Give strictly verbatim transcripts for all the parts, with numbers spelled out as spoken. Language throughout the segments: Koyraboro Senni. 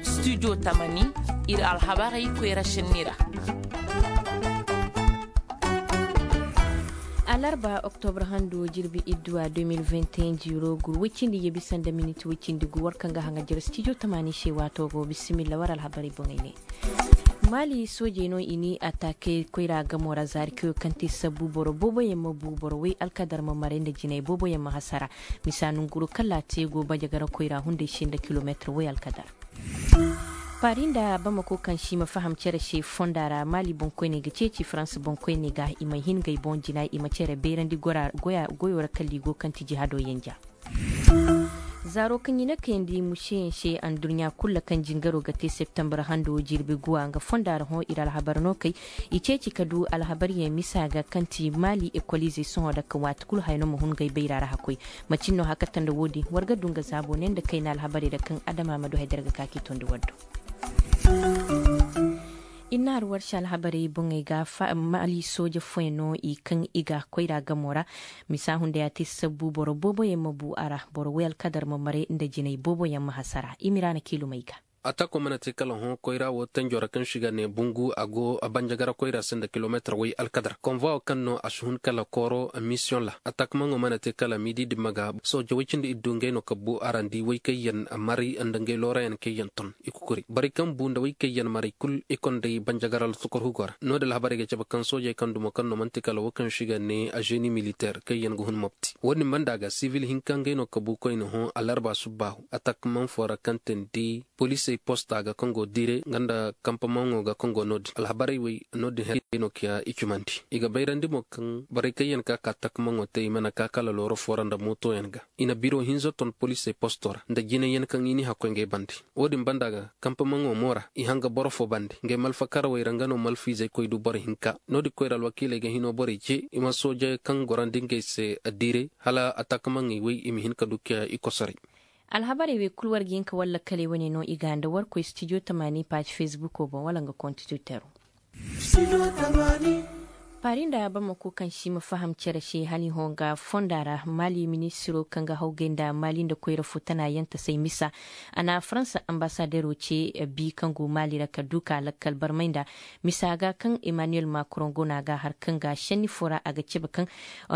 Studio tamani, ir alhabarey koyra šenni ra. Alarba oktobra hando jirbi idduwa deux mille vingt et un jiiro gur woy cindi yebi sanda miniti woy cindi gu war kaŋ ga haŋa jare studio tamani se waato go bisimilla war alhabarey boŋey ne. Mali soojey no i ni ataake koyra gamo ra zaari kayo kaŋ te sabbu boro booboyaŋ ma bu boro way alkadar ma maray nda jinay booboyaŋ ma hasara. Misa nonguro kala te go bajagara koyra hunday se nda kilometir way alkadar. Paari nda bamako kaŋ se i ma faham cere se fonda ra mali boŋkoyney ga ceeci faransa boŋkoyney ga i ma hin ngey boŋ jina i ma cere beerandi goyo ra kala i go kaŋ ti jihado yanja. Zaaro kaŋ i na kayandi museyaŋ se anduɲɲa kul ra kaŋ jingaro ga te septembar hando jirbi guwa nga fonda ra hõ ir alhabar no kay. I ceeci ka du alhabaryaŋ misa ga kaŋ ti maali ekoliizey sohõ da ka waati kul haya no ma hun ngey bayra ra hakkoy. Macin no hakata nda wo-din war ga du nga zaabo ne nda kayna alhabarey ra kaŋ adama ma du hay da ra ga ka k'i tondi war do. I na har war se alhabarey boŋey ga maali sooje fooyaŋ no i kaŋ i ga koyra gamo ra. Misa hunday a te sabbu boro booboyaŋ ma bu a ra boro way alkadar ma maray nda jinay booboyaŋ ma hasara i ma i ra na kiilumey ga. Atako mana te kala hõ koyra wo tanjo ra kaŋ se i ga ne bungu a go banjagara koyra se nda kilometir way alkadar konvoyo kaŋ no a si hun kala kooro misiyoŋ ra. Atakmaŋo mana te kala midi dimma ga sooje way cindi iddu ngey no ka bu a ra nda i way kaŋ yaŋ maray nda ngey loorayaŋ kaŋ yaŋ ton i kukuri borey kaŋ bu nda way kaŋ yaŋ maray kul i konday banjagara lotokorhugo ra. No-din alhabarey ga cabe kaŋ soojey kaŋ dumo kaŋ no man'ti kala wo kaŋ se i ga ne azeeni militeer kaŋ yaŋ ga hun mopti wo-din banda ga sibil hinka ngey no ka bu koyne hõ alarba subbaahu atakmaŋ foo ra kaŋ te nda polisey posta ga kaŋ go dire nga nda kampamaŋo ga kaŋ go no-din alhabarey wey no-din her no kiya i cumandi. I ga bayrandi mo kaŋ borey kaŋ yaŋ ka ka takmaŋo te i mana ka kala looro foo ra nda mootoyaŋ ga. I na biro hinza ton polisey posto ra nda jinay yaŋ kaŋ i n'i hakkoy ngey bande. Wo-din banda ga kampamaŋo mo ra i hanga boro foo bande ngey malfakarawey ra nga no malfiizey koy du boro hinka. No-din koyra alwakiiley ga hino borey ce i ma sooje kaŋ gorandi ngey se dire hala atakmaŋey wey i ma hin ka du kiya i kosoray. Alhabarey wey kul war ga hin ka war lakkaley wane no i ga nda war koy stijo tamaani paaji fesbuko boŋ wala nga konti tiwtero. Paari nda bamako kaŋ se i ma faham cere se hala i hõ nga fonda ra maali ministiro kaŋ ga hawgay nda maali nda koyra fo tana yaŋ tasay misa. A na faransa ambasadero ce bi kaŋ go maali ra ka du ka lakkal barmay nda misa ga kaŋ emmanuel macron go no a ga har kaŋ ga senni fo ra a ga cabe kaŋ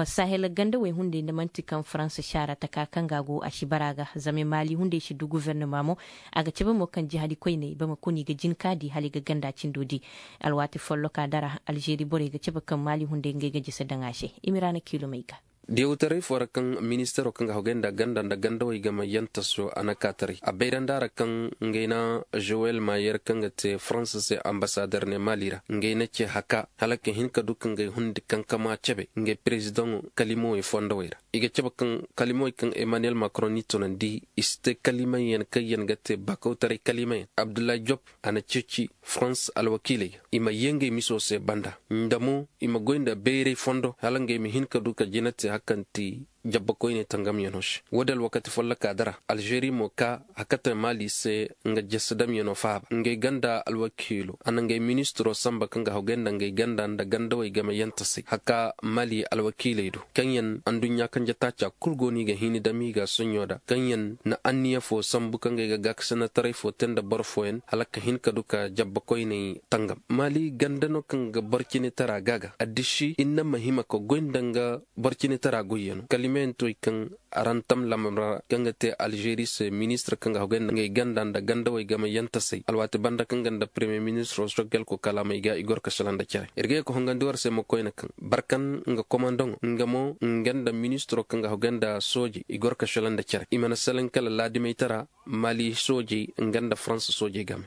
sahel gandawey hunday nda man'ti kaŋ faransa saara taka kaŋ ga a go a si bara ga zama maali hunday si du guvernama mo. A ga cabe mo kaŋ jihadi koyney bamako no i ga jin ka di hala i ga ganda cindo di. Alwaati folloka dara alzeeri borey ga cabe kaŋ maali hunday ngey ga jese daŋ a se. I ma i ra na kiilumey ga. Diyawtaray foo ra kaŋ ministaro kaŋ ga hogay nda ganda nda gandawey game yantaso a na ka taray a bayrandi a ra kaŋ ngey na zowel mayer kaŋ ga te faransa se ambasader ne maali ra ngey na ce haka hala ka hin ka du ka ngey hundi kankama cabe ngey perezidaŋo kalimowey fondowey ra. I ga cabe kaŋ kalimawey kaŋ emmanuel macron n'i tunandi i si te kalimayaŋ kaŋ yaŋ ga te bakawtaray kalimayaŋ abdullahi job a na ceeci farans alwakiiley ga i ma yee ngey miso se banda nda mo i ma goy nda bayray fondo hala ngey ma hin ka du ka jina te hari kaŋ ti jabbakoyney tangamyaŋo se. Wo-din alwakati folloka dara alzeeri mo ka hakate maali se nga jesedamyaŋo faaba ngey ganda alwakiilo a na ngey ministiro sanba kaŋ ga hogay nda ngey ganda nda gandawey game yantasey haka maali alwakiiley do kaŋ yaŋ anduɲɲa kanje taaca kul go no i ga hini dam i ga soɲɲo da kaŋ yaŋ na anniya fo sambu kaŋ ga ay ga gaakasinataray fo te nda boro fooyaŋ hala ka hin ka du ka jabba koyney tangam maali ganda no kaŋ ga boro cine tara ga ga addisi inna ma hima ka goy nda nga boro cine tara goyyaŋo kalimeyaŋ to i kaŋ arantam lamra kaŋ ga te alzeeri se ministir kaŋ ga hogay nda ngey ganda nda gandawey game yantasey alwaati banda kaŋ ga nda premiye ministir osogel ko kalaamey ga i goro ka sila nda cere ir ga ye ka hongandi war se ma koyne kaŋ barkan nga komandoŋo nga mo nga nda ministiro kaŋ ga hogay nda sooje i goro ka sila nda cere i mana selaŋ kala laadimey tara maali soojey nga nda faransa soojey game.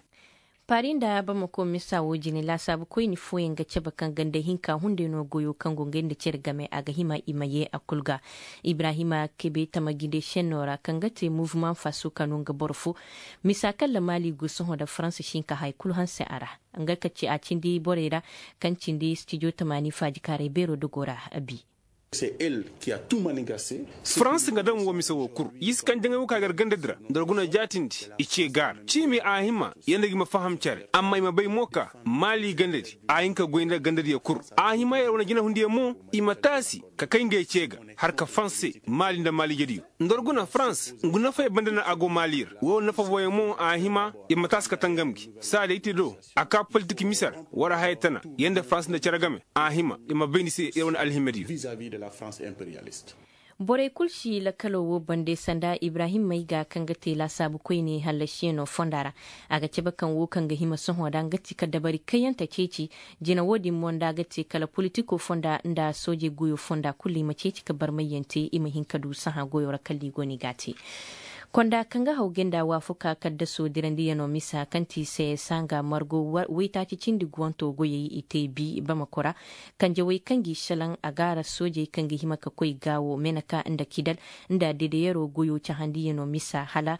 Paari nda bamako misa wo jine laasaabu koyni fooyaŋ ga cabe kaŋ ganda hinka hunday no goyo kaŋ go ngey nda cere game a ga hima i ma ye a kul ga. Ibrahima kebe tamaginde senno ra kaŋ ga te muvuma faso kanu nga boro fo misa kaŋ ra maali go sohõ nda faransa si hin ka haya kul hanse a ra. Nga ka ci a cindi borey ra kaŋ cindi stijo tamaani faajikaaray beero dogo ra. Bi. Farans nga daŋ woo mise woo kul. Y'i si kaŋ jaŋay woo ka gar gandadi ra nda war guna jaatindi. I cee gaara ciimi a hima. Yee nda gi ma faham cere amma i ma bay mo ka maali gandadi. A hin ka goy nda gandadiyo kul. A hima yer wane jinahundiyo mo i ma taasi ka kay ngey cee ga. Har ka fanse maali nda maalijediyo. Nda war guna farans ngu nafay banda no a go maali ra woo nafa booyaŋ mo a hima. Yer ma taasi ka tangam gi saa day te do. A kaa politik mise ra war haya tana. Yer nda farans nda cere game a hima yer ma bayndi se yer wane alhimediyo. Borey kul si lakkaloo woo bande sanda ibrahim mayga kaŋ ga te laasaabu koyne hallasiyaŋo fonda ra. A ga cabe kaŋ woo kaŋ ga hima sohõ nda nga ti ka dabari kayyante ceeci. Jina woo din mo nda a ga te kala politikoo fonda nda soojey goyoo fonda kul i ma ceeci ka barmayyaŋ te i ma hin ka du sahã goyoo ra kala i go no i g'a te. Konda kaŋ ga haw gay nda waafuka kaddasoo dirandiyanoo misa kaŋ ti se sanga margo waytaaci cindi guwantoo goyey i te bi bamako ra. Kanjawey kaŋ g'i šelaŋ a gaara soojey kaŋ ga hima ka koy gaawo meneka nda kidal nda dedeyaroo goyoo cahandiyanoo misa hala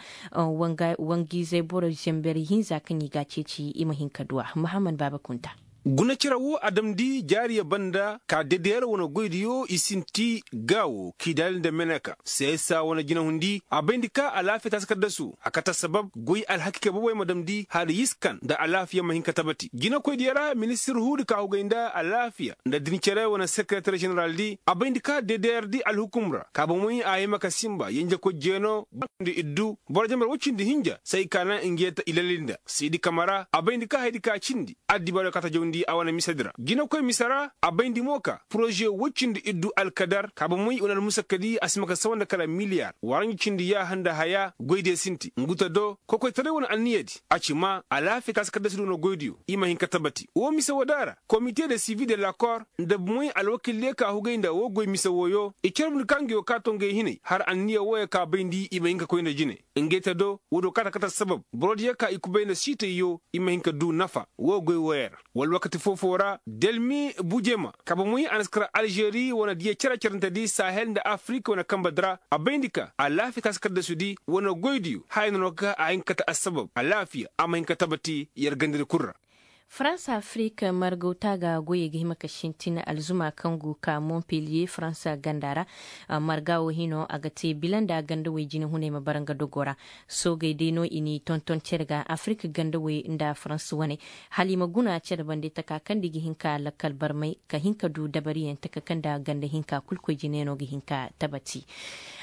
wangiizey boro zenber hinza kaŋ i g'a ceeci i ma hin ka du a mahammad baaba kunta. Guna cere woo a damndi jaariya banda ka dedeyer wane goydiyo i sinti gaawo kidal nda meneka seesa wane jinahundi a bayndi ka alaafiya taasi kaddasu a kate assabab goy alhakika boboy ma damndi hala yiskan nda alaafiya ma hin ka tabati jinakoydiyo ra ministir huudi ka hugay nda alaafiya nda dincere wane sekereter ženeraldi a bayndi ka dedeyerdi alhukum ra ka bomoy a hima ka sinba yenjekoy jeeno nda iddu boro jambar woy cindi hinja se ay ka naŋ ngi yee ta i lalli nda siidi kama ra a bayndi ka hayadi ka cindi addibaadiyo ka ta jawndi a wane misedi ra jinakoy mise ra a bayndi mo ka poroze woy cindi iddu alkadar ka bomoy wane almusakkadi a si ma ka sawa nda kala miliyar waranji cindi yaaha nda haya goydiyo sinti ngu ta do kokoytaray wane anniyadi a ci maa alaafiya taasi kaddasidi wane goydiyo i ma hin ka tabati woo mise woo da ra komite de sivi de lakor nda bomoy alwakildiyo ka hugay nda woo goy mise wooyo i carbundi ka ngi woo ka to ngey hinay har anniya wooyo ka bayndi i ma hin ka koy nda jine. Ngey ta do woodiyo ka ta kate assabab borodiyo ka i kubay nda siitayyo i ma hin ka du nafa woo goy wooyo ra wala wakati foo-foo ra delmi bujema ka bomoy a na si kar alžeri wane diya cere-cerentedi sahel nda afirik wane kambedi ra a bayndi ka alaafiya taasi kaddasudi wane goydiyo haya no no ka a hin ka kate assabab alaafiya a ma hin ka tabati yer gandadi kul ra. Faransa afirik margaw taaga goyey ga hima ka sintin alzuma kaŋ go ka montpellier faransa ganda ra. Marga wo hino a ga te bila nda gandawey jinahuney ma bara nga dogo ra. Soogey day no i n'i tonton cere ga afirik gandawey nda faransa wane hala i ma guna cere bande taka kaŋ nda i ga hin ka lakkal barmay ka hin ka du dabariyaŋ taka kaŋ nda ganda hinka kul koy jine no ga hin ka tabati.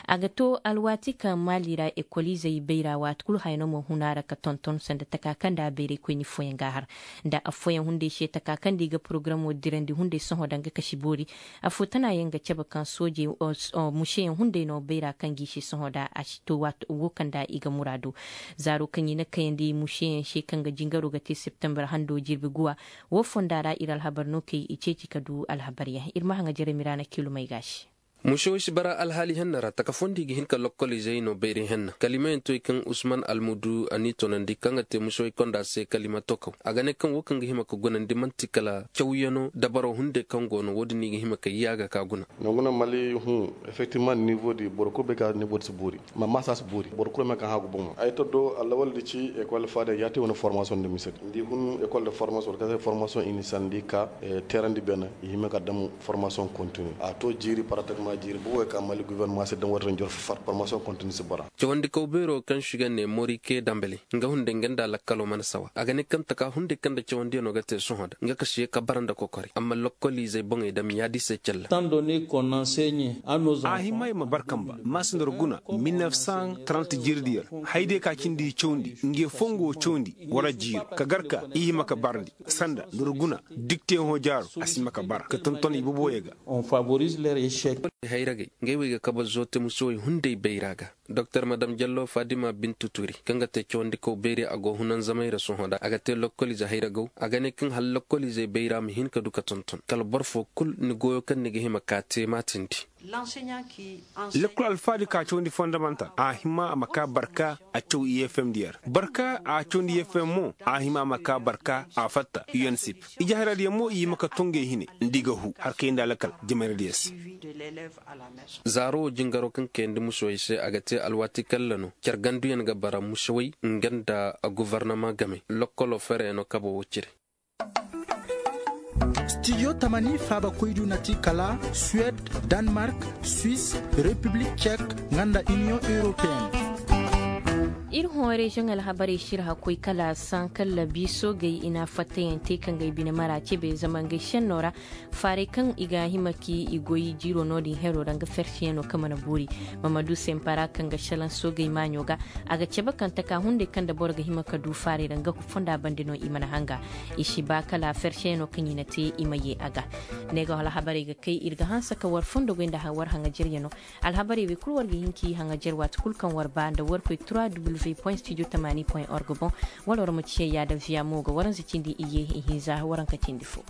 A ga to alwaati kaŋ maali ra ekoliizey bayra waati kul haya no ma hun a ra ka tonton sanda taka kaŋ nda bayraykoyni fooyaŋ ga a har nda affooyaŋ hunday se taka kaŋ nda i ga porogaramoo dirandi hunday sohõ danga kasi boori. Affoo tana yaŋ ga cabe kaŋ soojey museyaŋ hunday no bayra kaŋ g'i se sohõ nda a si to waati woo kaŋ nda i ga muraadu. Zaaro kaŋ i na kayandi museyaŋ se kaŋ ga jingaroo ga te septembar hando jirbi guwa. Woo fonda ra ir alhabar no kay i ceeci ka du alhabaryaŋ ir ma haŋa jere miraana kilumey ga a se. Mušewey si bara alhaali henna ra taka fondi ga hin ka lokkoliizey no bayray henna kalimayaŋ toy kaŋ usman almudu a n'i tonandi kaŋ ga te mušewey konda se kalima tokaw a ga ne kaŋ wo kaŋ ga hima ka gunandi man'ti kala cawyano dabaro hunday kaŋ go no wo-din i ga hima ka yaaga ka guna. Nanguna mali hun effectivement nivo di boro kul bay ka nivo di si boori. Ma masa si boori boro kul ma kaŋ hagu bomo ay to do alawal di ci ekol faada ya te wane formation de misedi ndi hun ekol de formation wala kase formation initial ndi ka terandi bena i hima ka dam formation continue a to jiiri pratiquement jiiri bo way ka mali gouvernement si dam wata njor formation continue si bara. Cawandi kaw beero kaŋ si ga ne morike dambele nga hunde nga nda lakkalo mana sawa a ga ne kaŋ taka hunde kaŋ da cawandi no ga te sohõ da nga ka si ye ka bara nda kokori amma lokkoliizey boŋey dam yaadi se calla. A hima i ma barkamba maasindar guna mil nef san trant jiiridiyo ra. Hayday ka cindi i cawndi nge fongo cawndi wala jiiri ka gar ka i hima ka barndi sanda ndur guna dikteyaŋo jaaro a si hima ka bara ka tonton i boboyey ga. Hayragey ngey wey ga kabe zoote musowey hunday bayra ga. Doktor madam jallo fadima bintu turi kaŋ ga te cawandikaw bayray a go hunanzamay ra sohõ da a ga te lokkoliize hayragaw a ga ne kaŋ hala lokkoliizey bayra ma hin ka du ka tonton kala boro fo kul ni goyo kaŋ ni ga hima ka te maatindi. Lekkol alfaadi ka cawandi fondamanta a hima a ma ka barka a caw i f m diyer barka a cawandi f m mo a hima a ma ka barka a fatta u n sip. Ije haradiyaŋ mo i hima ka tongey hine nda i ga hu har kay nda lakkal jamayradiyaŋ se. Zaaro wo jingaro kaŋ kayandi musoy se a ga te alwaati kalla no care ganduyaŋ ga bara musowey nga nda govornama game lokkolo fereyaŋo kabo wo cire. Stijo tamani faabakoydiyo na ti kala suwed, danmark, swis, repiblik cek, nga nda iniyoŋ europeen. Ir hõ reziyoŋ alhabarey sirha koy kala sankalla biisoogey i na fattayaŋ te kaŋ ga ay bine mara cebe zama ngey senno ra. Faaray kaŋ i ga hima ka i goy jiiro no-din hero ra nga ferseyaŋo kaŋ mana boori. Mamadu sempara kaŋ ga salaŋ soogey maaɲo ga, a ga cabe kaŋ taka hunday kaŋ nda boro ga hima ka du faaray ra nga fonda bande no i mana hanga. I si ba kala ferseyaŋo kaŋ i na te i ma ye a ga. Ne ga alhabarey ga kay ir ga hanse ka war fondo goy nda war haŋajeryaŋo. Alhabarey wey kulu war ga hin k'i haŋajer waati kulu kaŋ war ba nda war koy trois w point studio tamani point org boŋ. Wala war ma ciya yaada viya mo ga waranza cindi iyye ihinza waranka cindi fo.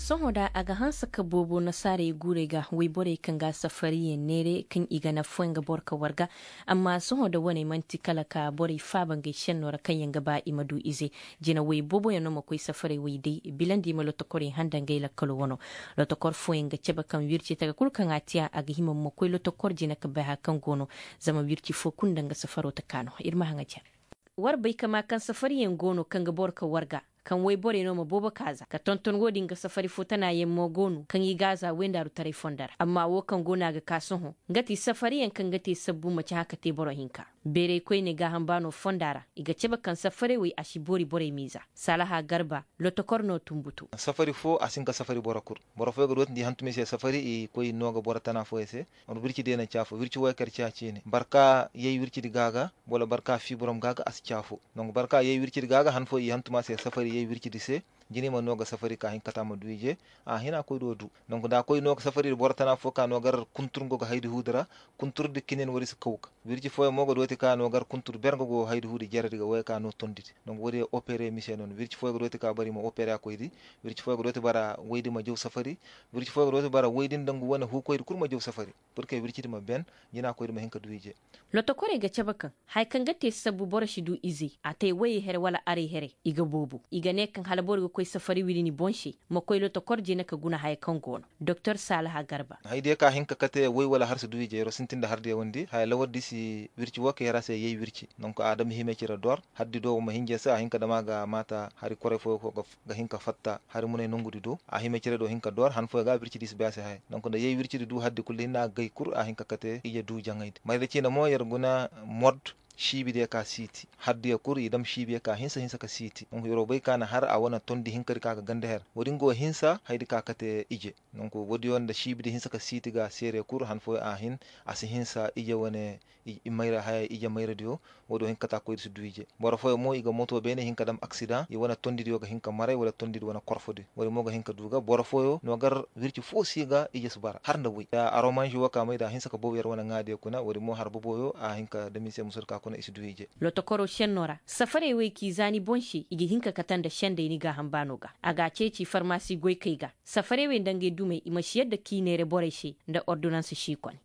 Sohõ da a ga hanse ka boobo nasaarey guurey ga wayborey kaŋ ga safariyaŋ neere kaŋ i ga nafa foy nga boro ka war ga. Amma sohõ da wane man'ti kala ka borey faaba ngey senno ra kaŋ yaŋ ga ba i ma du ize. Jinawey booboyaŋ no ma koy safarey wey day bilandi i ma lotokorey handa ngey lakkalo wano. Lotokor fooyaŋ ga cabe kaŋ wirci taga kulu kaŋ a tiya a ga hima ma koy lotokor jina ka bay haya kaŋ go no. Zama wirci fo kulu nda nga safaro taka no ir ma haŋa jare. War bay ka maa kaŋ safariyaŋ go no kaŋ ga boro ka war ga, kaŋ wayborey no ma boobo ka za ka tonton wo-din ga safari fo tanayaŋ mo go no kaŋ i ga a za wayndaaru taray fondo ra amma wo kaŋ go no a ga ka sohõ. Nga ti safariyaŋ kaŋ ga te sabbu maci hã ka te boro hinka. Beeray koyne gaaham baano fonda ra i ga cabe kaŋ safarey wey a si boori borey miiza. Salaha garba lotokor no tumbutu. Safari fo a si hin ka safari boro kul. Boro fooyaŋ ga dootindi i hantumey se safari i koy nooga boro tana fooyaŋ se. Wirci day na ci afo wirci wooyaŋ kaŋ yer ci a ciine boro ka yay wircidi ga ga wala boro ka fiiburom ga ga a si ci afo. Donk boro ka yay wircidi ga ga han fooyaŋ i hantum a se safari yay wircidi se. Jinay ma noo ga safari ka hin ka kate a ma du ije. A hin a koy do du. Donk nda a koy noo ga safari boro tana fo ka noo gar kuntur nga ga haydi huudi ra. Kunturdi kinin war i si kaw ga wirci fooyaŋ mo ga dooti ka noo gar kuntur ber nga go haydi huudi jeredi ga wooyaŋ ka noo tondidi. Donk woodi opere mise no no wirci fooyaŋ ga dooti ka boro i ma opere a koydi. Wirci fooyaŋ ga dooti boro waydi ma jaw safari. Wirci fooyaŋ ga dooti boro waydi nda nga wane huukoydi kul ma jaw safari. Purke wircidi ma ben. Jina koydi ma hin ka du ije. Lotokorey ga cabe kaŋ haya kaŋ ga te sabbu boro si du izey a te wayey here wala arey here i ga boobo i ga ne kaŋ hala boro ga koy safari wiri ni boŋ se. Ma koy lotokor jina ka guna haya kaŋ go no. Doktor saalaha garba. Haydiyo ka hin ka kate way wala har si du ije yer wo sintin nda hardiyo wandi haya lawardi si wirci wo ka yer a se yay wirci donk a dam hime cire dor. Hardi do wo ma hinja se a hin ka dam a ga maata hari koray fooyo ko ga hin ka fatta hari munay nongudi do a hime cire do hin ka dor han fooyo ga wircidi si bay a se haya donk nda yay wircidi du hardi kulu hinne a gay kul a hin ka kate ije du jaŋaydi mayda ciine mo yer guna. Mod siibidiyo ka siiti hardiyo kul i dam siibiyo ka hinsa hinsa ka siiti donk yer wo bay ka na har a wane tondi hinkadi ka ga ganda her wo-din go hinsa haydi ka kate ije. Donk wo-diyo nda siibidi hinsa ka siiti ga seere kul han fooyo a hin a si hinsa ije wane. Ije mayradiyo wo-diyo hin ka kate a koydi si du ije. Boro fooyo mo i ga moto beene hin ka dam aksidaŋ i wane tondidiyo ga hin ka maray wala tondidi wane korfodi wo-din mo ga hin ka du ga boro fooyo no gar wirci fo si ga ije si bara har nda way aromanži wo ka mayda a hinsa ka boobo yer wane ŋaadiyo kuna wo-din mo har boboyo a hin ka dam i se musur ka kuna i si du ije. Lotokoro senno ra safarey wey k'i za ni boŋ se i ga hin ka kate nda sendey ni gaaham baano ga a ga a ceeci farmasi goykey ga. Safarey wey nda ngey dumey i ma si yadda k'i neere borey se nda ordonans si kone.